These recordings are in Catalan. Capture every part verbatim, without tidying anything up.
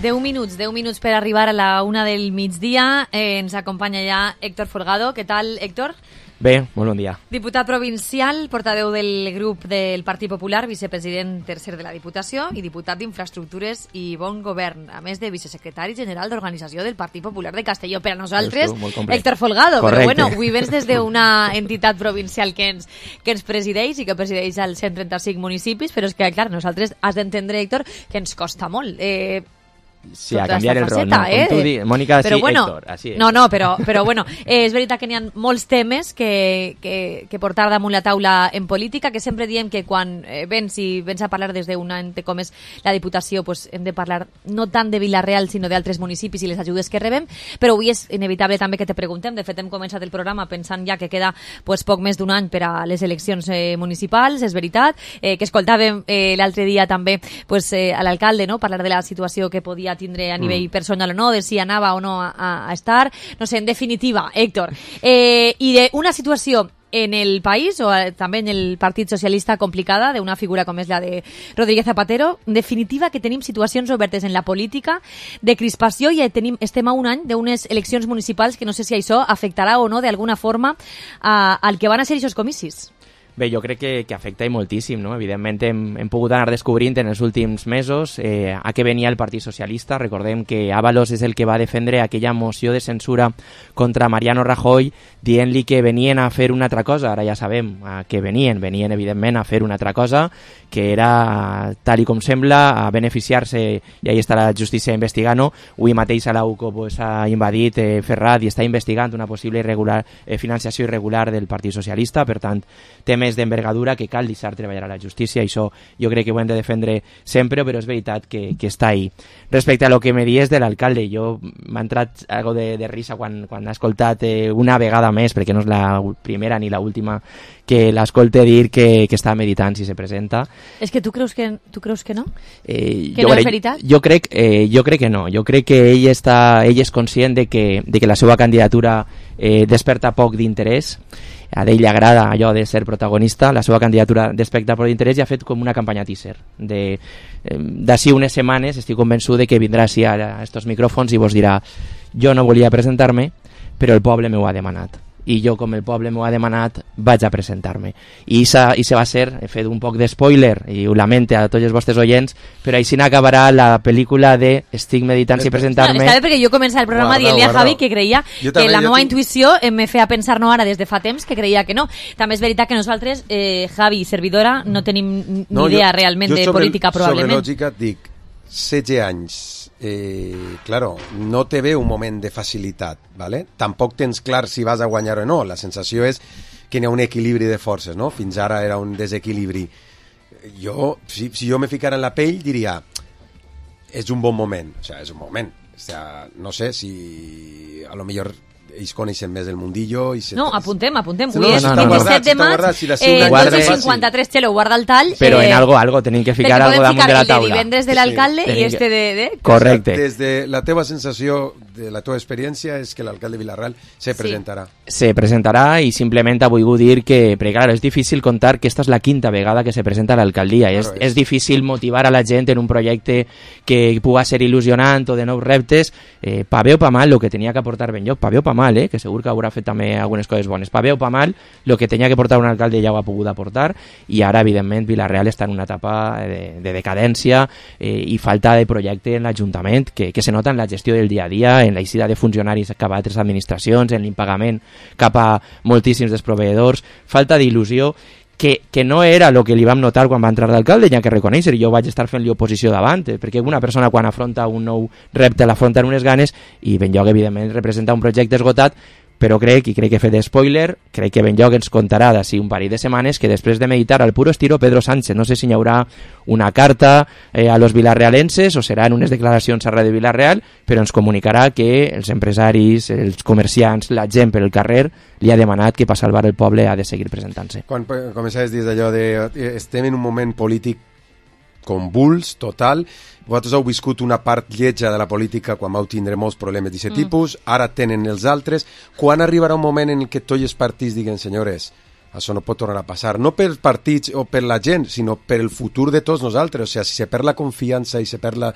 deu minuts, deu minuts per arribar a la una del migdia. Eh, ens acompanya ja Héctor Folgado. Què tal, Héctor? Bé, molt bon dia. Diputat provincial, portaveu del grup del Partit Popular, vicepresident tercer de la Diputació i diputat d'Infraestructures i Bon Govern, a més de vicesecretari general d'Organització del Partit Popular de Castelló. Per a nosaltres, Héctor Folgado. Correcte. Però bueno, avui vens des d'una entitat provincial que ens, que ens presideix i que presideix als cent trenta-cinc municipis, però és que, clar, nosaltres has d'entendre, Héctor, que ens costa molt. Eh, Sí, a canviar el rol, no? Eh? Com tu dius, Mònica, però sí, bueno, Héctor, així és. No, no, però, però bueno, eh, és veritat que n'hi ha molts temes que, que, que portar damunt la taula en política, que sempre diem que quan eh, vens i vens a parlar des d'un ente com és la Diputació, pues, hem de parlar no tant de Vila-real, sinó d'altres municipis i les ajudes que rebem, però avui és inevitable també que te preguntem. De fet, hem començat el programa pensant ja que queda pues, poc més d'un any per a les eleccions eh, municipals, és veritat, eh, que escoltàvem eh, l'altre dia també pues, eh, a l'alcalde, no?, parlar de la situació que podia tindre a nivell mm. personal o no, de si anava o no a, a estar. No sé, en definitiva, Héctor, eh, i d'una situació en el país o eh, també en el Partit Socialista complicada d'una figura com és la de Rodríguez Zapatero, en definitiva que tenim situacions obertes en la política de crispació i tenim, estem a un any d'unes eleccions municipals que no sé si això afectarà o no d'alguna forma a, al que van a ser aquests comicis. Bé, jo crec que, que afecta i moltíssim, no? Evidentment hem, hem pogut anar descobrint en els últims mesos eh, a què venia el Partit Socialista. Recordem que Ábalos és el que va defendre aquella moció de censura contra Mariano Rajoy dient-li que venien a fer una altra cosa. Ara ja sabem a què venien. Venien, evidentment, a fer una altra cosa, que era, tal i com sembla, a beneficiar-se, i ahí està la justícia investigant-ho. Avui mateix a l'Auco pues, ha invadit eh, Ferrat i està investigant una possible irregular, eh, financiació irregular del Partit Socialista. Per tant, temes d'envergadura que cal deixar treballar a la justícia, i això jo crec que ho hem de defendre sempre, però és veritat que, que està ahí. Respecte a lo que me dies de l'alcalde, jo m'ha entrat algo de, de risa quan, quan he escoltat eh, una vegada més, perquè no és la primera ni la última que l'escolte dir que, que està meditant si se presenta. És que tu creus que, tu creus que no? Eh, que no crec, és veritat? Jo crec, eh, jo crec que no. Jo crec que ell, està, ell és conscient de que, de que la seva candidatura eh, desperta poc d'interès. A ell li agrada allò de ser protagonista, la seva candidatura desperta poc d'interès i ha fet com una campanya teaser. De, eh, d'ací unes setmanes estic convençut de que vindrà així a estos micròfons i vos dirà: jo no volia presentar-me, però el poble m'ho ha demanat. I jo, com el poble m'ho ha demanat, vaig a presentar-me. I se va ser, he fet un poc de spoiler, i ho lamente a tots els vostres oients, però així n'acabarà la pel·lícula de estic meditant si presentar-me. No, està bé, perquè jo començava el programa dient-li a Javi que creia jo que també, la meva tinc... intuïció em feia pensar no ara des de fa temps que creia que no. També és veritat que nosaltres, eh, Javi i servidora, no tenim ni no, idea jo, realment jo de política, el, probablement. Sobre lògica et dic, setze anys, eh, claro, no te ve un moment de facilitat, ¿vale? Tampoc tens clar si vas a guanyar o no. La sensació és que n'hi ha un equilibri de forces, no? Fins ara era un desequilibri. Jo, si, si jo me ficara en la pell, diria, és un bon moment, o sea, és un moment. O sea, no sé si a lo millor ells coneixen més el mundillo i se... No, apuntem, apuntem. No, Avui és no, no, vint-i-set de maig, eh, dotze cinquanta-tres, Xelo, guarda el tall. Però eh, en algo, algo, tenim que ficar algo damunt de la taula. El de divendres de l'alcalde sí. i este de... de... Correcte. Des de la teva sensació, de la teva experiència, és que l'alcalde de Vila-real se presentarà. Sí. Se presentarà i simplement ha volgut dir que... Perquè, clar, és difícil contar que esta és la quinta vegada que se presenta a l'alcaldia. Claro, és, és. és difícil motivar a la gent en un projecte que puga ser il·lusionant o de nous reptes. Eh, pa bé o pa mal, el que tenia que aportar ben lloc, pa bé o pa mal, eh, que segur que haurà fet també algunes coses bones. Pa bé o pa mal, el que tenia que portar un alcalde ja ho ha pogut aportar, i ara, evidentment, Vila-real està en una etapa de, de decadència eh, i falta de projecte en l'Ajuntament, que, que se nota en la gestió del dia a dia, en la eixida de funcionaris cap a altres administracions, en l'impagament cap a moltíssims dels proveïdors, falta d'il·lusió, que, que no era el que li vam notar quan va entrar d'alcalde, ja que reconèixer, jo vaig estar fent-li oposició davant, eh, perquè una persona quan afronta un nou repte l'afronta en unes ganes, i Benlloc, evidentment, representa un projecte esgotat, però crec, i crec que he fet spoiler, crec que Benlloc ens contarà d'ací un parell de setmanes que després de meditar al puro estilo Pedro Sánchez, no sé si hi haurà una carta eh, a los vilarrealenses o seran unes declaracions a Ràdio Vila-real, però ens comunicarà que els empresaris, els comerciants, la gent per el carrer li ha demanat que per salvar el poble ha de seguir presentant-se. Quan començaves des d'allò de estem en un moment polític convuls, total. Vosaltres heu viscut una part lletja de la política quan vau tindre molts problemes d'aquest mm. tipus, ara tenen els altres. Quan arribarà un moment en què tots els partits diguen, senyores, això no pot tornar a passar, no pels partits o per la gent, sinó per el futur de tots nosaltres, o sigui, si se perd la confiança i se perd la,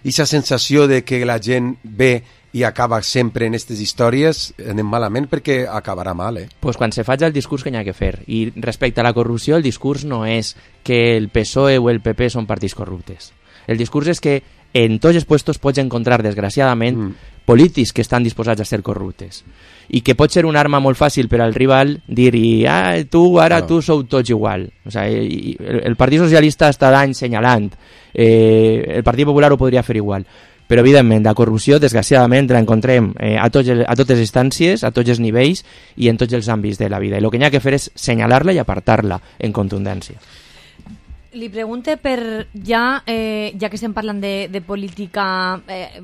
aquesta sensació de que la gent ve i acaba sempre en aquestes històries, anem malament perquè acabarà mal, eh? Pues quan se faig el discurs que n'hi ha que fer. I respecte a la corrupció, el discurs no és que el P S O E o el P P són partits corruptes. El discurs és que en tots els puestos pots encontrar, desgraciadament, mm. polítics que estan disposats a ser corruptes. I que pot ser una arma molt fàcil per al rival dir-hi, ah, tu, ara claro. Tu sou tots igual. O sea, el, el Partit Socialista està d'any senyalant. Eh, el Partit Popular ho podria fer igual. Però, evidentment, la corrupció, desgraciadament, la encontrem eh, a, tots el, a totes les instàncies, a tots els nivells i en tots els àmbits de la vida. I el que n'hi ha que fer és senyalar-la i apartar-la en contundència. Li pregunte per, ja, eh, ja que estem parlant de, de política eh,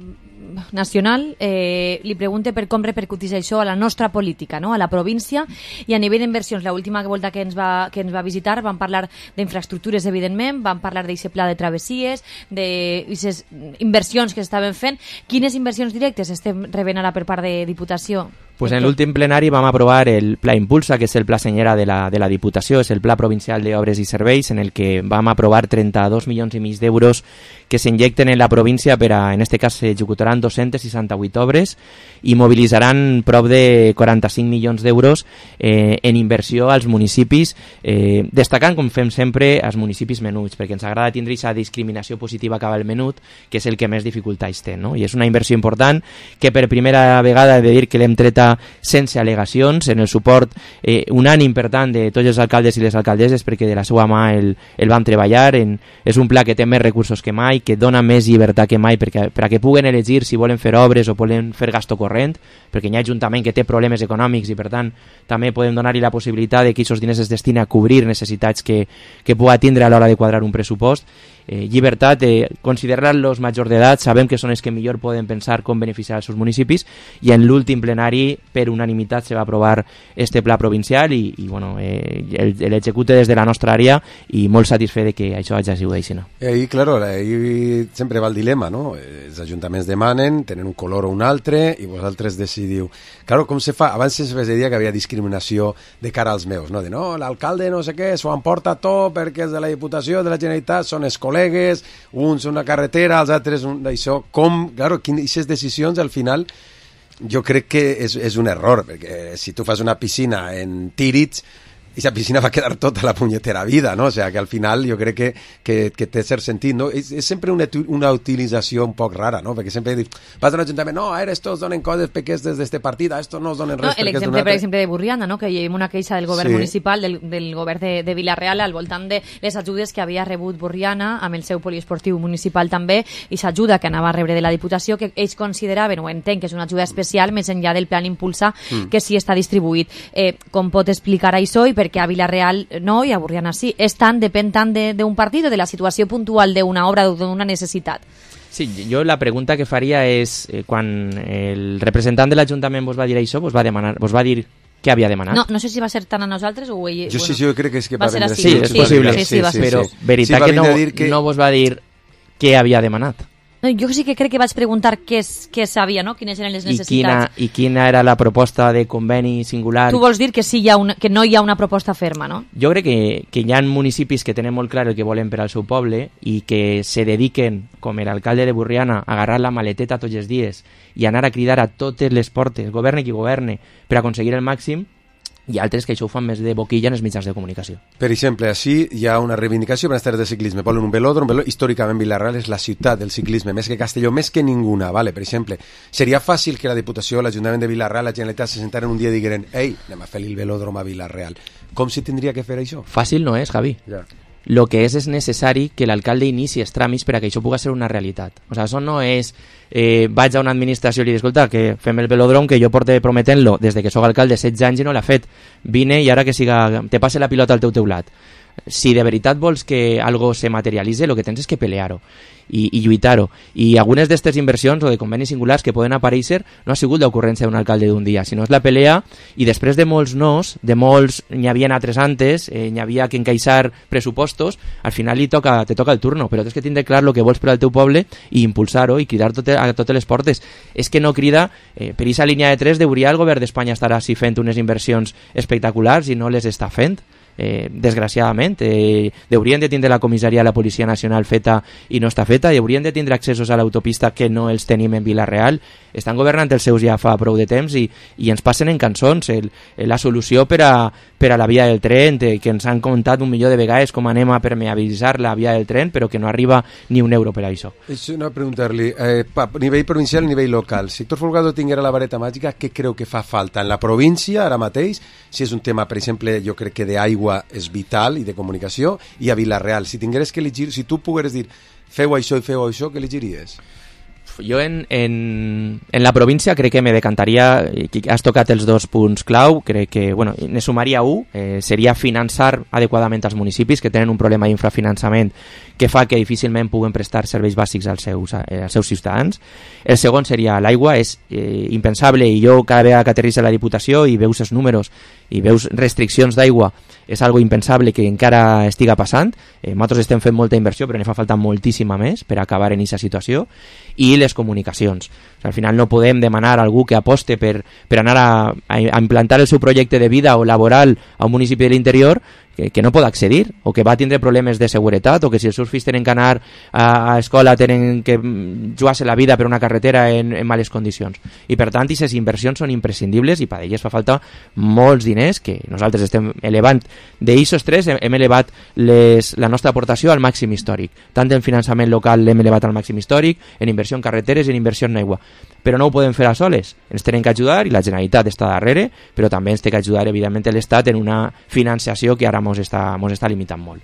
nacional, eh, li pregunte per com repercuteix això a la nostra política, no? A la província i a nivell d'inversions. L'última volta que ens va, que ens va visitar vam parlar d'infraestructures, evidentment, vam parlar d'aquest pla de travessies, d'aquestes inversions que s'estaven fent. Quines inversions directes estem rebent ara per part de Diputació? Pues en l'últim plenari vam aprovar el Pla Impulsa, que és el pla senyera de la, de la Diputació, és el Pla Provincial d'Obres i Serveis, en el que vam aprovar trenta-dos milions i mig d'euros que s'injecten en la província per a, en este cas, s'executaran dos-centes seixanta-vuit obres i mobilitzaran prop de quaranta-cinc milions d'euros eh, en inversió als municipis, eh, destacant, com fem sempre, als municipis menuts, perquè ens agrada tindre aquesta discriminació positiva cap al menut, que és el que més dificultats té, no? I és una inversió important que per primera vegada he de dir que l'hem treta sense al·legacions, en el suport eh, unànim, per tant, de tots els alcaldes i les alcaldesses, perquè de la seva mà el, el vam treballar. En, és un pla que té més recursos que mai, que dona més llibertat que mai perquè, per a que puguen elegir si volen fer obres o volen fer gasto corrent, perquè hi ha ajuntament que té problemes econòmics i, per tant, també podem donar-li la possibilitat de que aquests diners es destinen a cobrir necessitats que, que pugui tindre a l'hora de quadrar un pressupost. Eh, llibertat, eh, considerar-los majors d'edat, sabem que són els que millor poden pensar com beneficiar els seus municipis, i en l'últim plenari per unanimitat se va aprovar este pla provincial i, i bueno, eh, l'execute des de la nostra àrea i molt satisfet de que això hagi sigut així, no? I ahí, claro, ahí sempre va el dilema, no? Els ajuntaments demanen, tenen un color o un altre i vosaltres decidiu. Claro, com se fa? Abans es deia que havia discriminació de cara als meus, no? De no, l'alcalde no sé què, s'ho emporta tot perquè és de la Diputació, de la Generalitat, són els col·legues, uns una carretera, els altres un d'això. Com, claro, aquestes decisions al final jo crec que és, és un error, perquè si tu fas una piscina en Tíritz, esa piscina va a quedar tota la punyetera vida, no? O sea, que al final jo crec que, que, que té cert sentit, no? És, és sempre una, una utilització un poc rara, no? Perquè sempre dius, vas a un ajuntament, no, ara estos donen coses pequeñas des d'este partit, a estos no es donen res. No, l'exemple, per exemple, de Burriana, no? Que hi ha una queixa del govern sí. municipal, del, del govern de, de Vila-real, al voltant de les ajudes que havia rebut Burriana, amb el seu poliesportiu municipal també, i s'ajuda que anava a rebre de la Diputació, que ells consideraven, o entenc, que és una ajuda especial, més enllà del plan Impulsa, mm. que sí està distribuït. Eh, com pot explicar això i per què a Vila-real no, i a Burriana sí. És tant, depèn tant d'un partit o de la situació puntual d'una obra o d'una necessitat? Sí, jo la pregunta que faria és, eh, quan el representant de l'Ajuntament vos va dir això, vos va demanar, vos va dir què havia demanat? No, no sé si va ser tant a nosaltres o ell... Jo bueno, sí, sí, jo crec que és que va, va ser així. Sí, és possible. Sí, sí, sí, sí, però sí. veritat sí, que, no, que no vos va dir què havia demanat. No, jo sí que crec que vaig preguntar què, què sabia, no? Quines eren les necessitats. I quina, I quina era la proposta de conveni singular? Tu vols dir que, sí hi ha una, que no hi ha una proposta ferma, no? Jo crec que, que hi ha municipis que tenen molt clar el que volen per al seu poble i que se dediquen, com l'alcalde de Burriana, a agarrar la maleteta tots els dies i anar a cridar a totes les portes, governe qui governe, per aconseguir el màxim, i altres que això ho fan més de boquilla en els mitjans de comunicació. Per exemple, així hi ha una reivindicació per les terres de ciclisme. Volen un velòdrom, un velòdrom. Històricament Vila-real és la ciutat del ciclisme, més que Castelló, més que ninguna, vale? Per exemple, seria fàcil que la Diputació, l'Ajuntament de Vila-real, la Generalitat se sentaren un dia i digueren ei, anem a fer el velòdrom a Vila-real. Com si tindria que fer això? Fàcil no és, Javi. Ja. Lo que és és necessari que l'alcalde inici els tràmits per a que això pugui ser una realitat. O sigui, això no és eh, vaig a una administració i li dic, escolta, que fem el velòdrom que jo porte prometent-lo des de que sóc alcalde setze anys i no l'ha fet. Vine i ara que siga, te passe la pilota al teu teulat. Si de veritat vols que algo se materialitze, el que tens és que pelear-ho i, i lluitar-ho. I algunes d'aquestes inversions o de convenis singulars que poden aparèixer no ha sigut l'ocurrència d'un alcalde d'un dia, sinó és la pelea, i després de molts nos, de molts n'hi havia altres antes, eh, n'hi havia que encaixar pressupostos, al final li toca, te toca el turno, però tens que tindre clar el que vols per al teu poble i impulsar-ho i cridar tot, a totes les portes. És que no crida, eh, per aquesta línia de tres deuria el govern d'Espanya estar així fent unes inversions espectaculars i no les està fent. eh, desgraciadament. Eh, haurien de tindre la comissaria de la Policia Nacional feta i no està feta, i haurien de tindre accessos a l'autopista que no els tenim en Vila-real. Estan governant els seus ja fa prou de temps i, i ens passen en cançons el, la solució per a, per a la via del tren, de, que ens han contat un milió de vegades com anem a permeabilitzar la via del tren, però que no arriba ni un euro per a això. És una preguntar-li, eh, a nivell provincial i a nivell local, si Héctor Folgado tinguera la vareta màgica, què creu que fa falta en la província ara mateix? Si és un tema, per exemple, jo crec que d'aigua és vital i de comunicació, i a Vila-real, si tingueres que elegir, si tu pogueres dir feu això i feu això, què elegiries? Jo en, en, en la província crec que me decantaria, has tocat els dos punts clau, crec que, bueno, ne sumaria un, eh, seria finançar adequadament els municipis que tenen un problema d'infrafinançament que fa que difícilment puguen prestar serveis bàsics als seus, eh, als seus ciutadans. El segon seria l'aigua, és eh, impensable, i jo cada vegada que aterrissa la Diputació i veus els números i veus restriccions d'aigua, és algo impensable que encara estiga passant. Eh, nosaltres estem fent molta inversió, però ne fa falta moltíssima més per acabar en aquesta situació. I les comunicacions. O sigui, al final no podem demanar a algú que aposte per, per anar a, a implantar el seu projecte de vida o laboral a un municipi de l'interior que, que no pot accedir, o que va tindre problemes de seguretat, o que si els seus fills tenen que anar a, a escola tenen que jugar-se la vida per una carretera en, en males condicions. I per tant, aquestes inversions són imprescindibles i per elles fa falta molts diners que nosaltres estem elevant. D'I S O tres hem, hem elevat les, la nostra aportació al màxim històric. Tant en finançament local l'hem elevat al màxim històric, en inversió en carreteres i en inversió en aigua. Però no ho podem fer a soles. Ens tenen que ajudar i la Generalitat està darrere, però també ens té que ajudar, evidentment, l'Estat en una financiació que ara ens està, mos està limitant molt.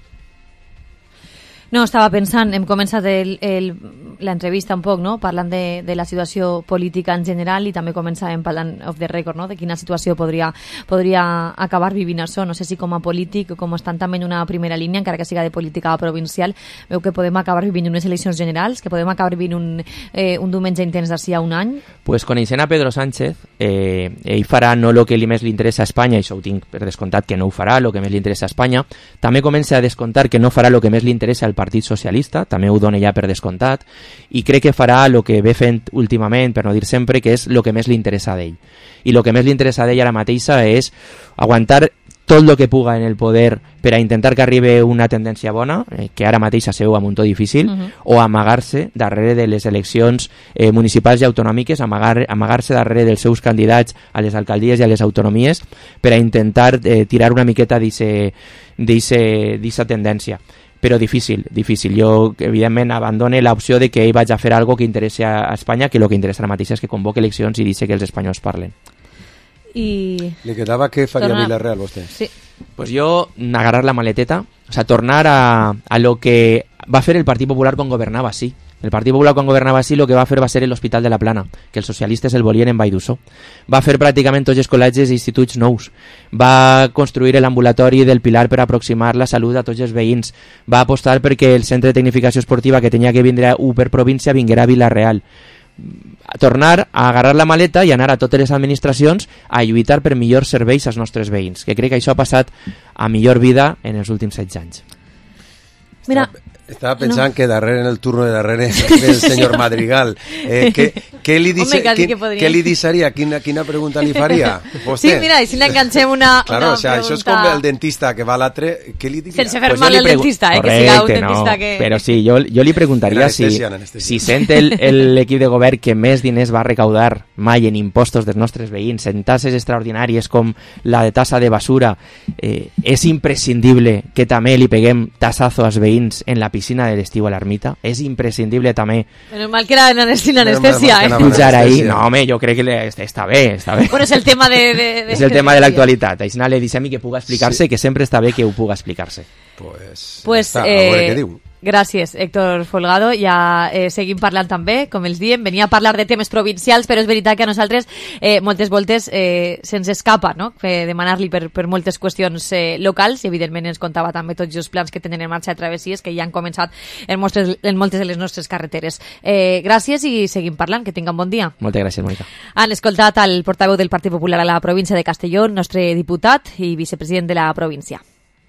No, estava pensant, hem començat l'entrevista un poc, no?, parlant de, de la situació política en general, i també començàvem parlant off the record, no?, de quina situació podria, podria acabar vivint això. No sé si com a polític o com estan també en una primera línia, encara que siga de política provincial, veu que podem acabar vivint unes eleccions generals, que podem acabar vivint un, eh, un diumenge intens d'ací a un any? Pues coneixent a Pedro Sánchez, eh, ell farà no el que més li interessa a Espanya, i això ho tinc per descomptat que no ho farà, el que més li interessa a Espanya. També comença a descomptar que no farà el que més li interessa al Partit Socialista, també ho dona ja per descomptat, i crec que farà el que ve fent últimament, per no dir sempre, que és el que més li interessa d'ell. I el que més li interessa d'ell ara mateixa és aguantar tot el que puga en el poder per a intentar que arribi una tendència bona, eh, que ara mateix se veu a un to difícil, uh-huh. o amagar-se darrere de les eleccions eh, municipals i autonòmiques, amagar, amagar-se darrere dels seus candidats a les alcaldies i a les autonomies per a intentar eh, tirar una miqueta d'aquesta tendència. Però difícil, difícil. Jo, evidentment, abandone l'opció de que ell vagi a fer algo que interessi a Espanya, que el que interessa ara mateix és que convoque eleccions i deixi que els espanyols parlen. I... Li quedava què faria Torna... Vila-real, vostè? Sí. Pues jo, agarrar la maleteta, o sea, tornar a, a lo que va fer el Partit Popular quan governava, sí. El Partit Popular quan governava sí, el que va fer va ser l'Hospital de la Plana, que els socialistes el volien en Vall d'Uixó. Va fer pràcticament tots els col·legis i instituts nous. Va construir l'ambulatori del Pilar per aproximar la salut a tots els veïns. Va apostar perquè el centre de tecnificació esportiva que tenia que vindre u per província vinguera a Vila-real. Tornar a agarrar la maleta i anar a totes les administracions a lluitar per millors serveis als nostres veïns, que crec que això ha passat a millor vida en els últims setze anys. Mira, estava pensant no. que darrere, en el turno de darrere del senyor Madrigal, eh, què, què li dice, Home, què, que què li deixaria? Quina, quina pregunta li faria? Vostè? Sí, mira, i si n'enganxem una, claro, una o sea, pregunta... Això és com el dentista que va a l'altre, què li diria? Sense fer pues mal el pregu... dentista, eh, Correcte, que siga un dentista no, que... Però sí, jo, jo li preguntaria si, si sent l'equip de govern que més diners va recaudar mai en impostos dels nostres veïns, en tasses extraordinàries com la de tassa de basura, eh, és imprescindible que també li peguem tassazo als veïns en la piscina de l'estiu a l'ermita. És imprescindible també. Menos mal que era sin anestesia, eh? Pujar ahí, no, home, jo crec que està bé, està bé. Bueno, és el tema de... de, de és el tema de l'actualitat. Així li deixem que puga explicar-se, sí. Que sempre està bé que ho puga explicar-se. Pues, pues està, eh, a veure què diu. Gràcies, Héctor Folgado. Ja eh, seguim parlant també, com els diem. Venia a parlar de temes provincials, però és veritat que a nosaltres eh, moltes voltes eh, se'ns escapa, no?, demanar-li per, per moltes qüestions eh, locals, i evidentment ens contava també tots els plans que tenen en marxa de travessies que ja han començat en, mostres, en moltes de les nostres carreteres. Eh, gràcies i seguim parlant. Que tinguin bon dia. Moltes gràcies, Mònica. Han escoltat el portaveu del Partit Popular a la província de Castelló, nostre diputat i vicepresident de la província.